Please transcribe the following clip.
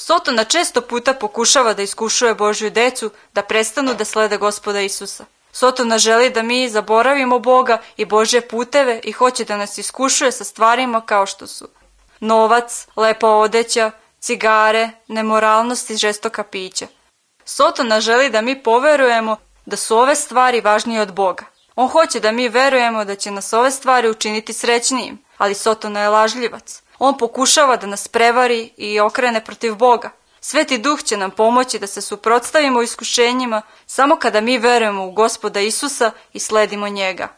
Sotona često puta pokušava da iskušuje Božju decu da prestanu da slede Gospoda Isusa. Sotona želi da mi zaboravimo Boga i Božje puteve i hoće da nas iskušuje sa stvarima kao što su novac, lepa odeća, cigare, nemoralnost i žestoka pića. Sotona želi da mi poverujemo da su ove stvari važnije od Boga. On hoće da mi verujemo da će nas ove stvari učiniti srećnijim, ali Sotona je lažljivac. On pokušava da nas prevari i okrene protiv Boga. Sveti Duh će nam pomoći da se suprotstavimo iskušenjima samo kada mi verujemo u Gospoda Isusa i sledimo njega.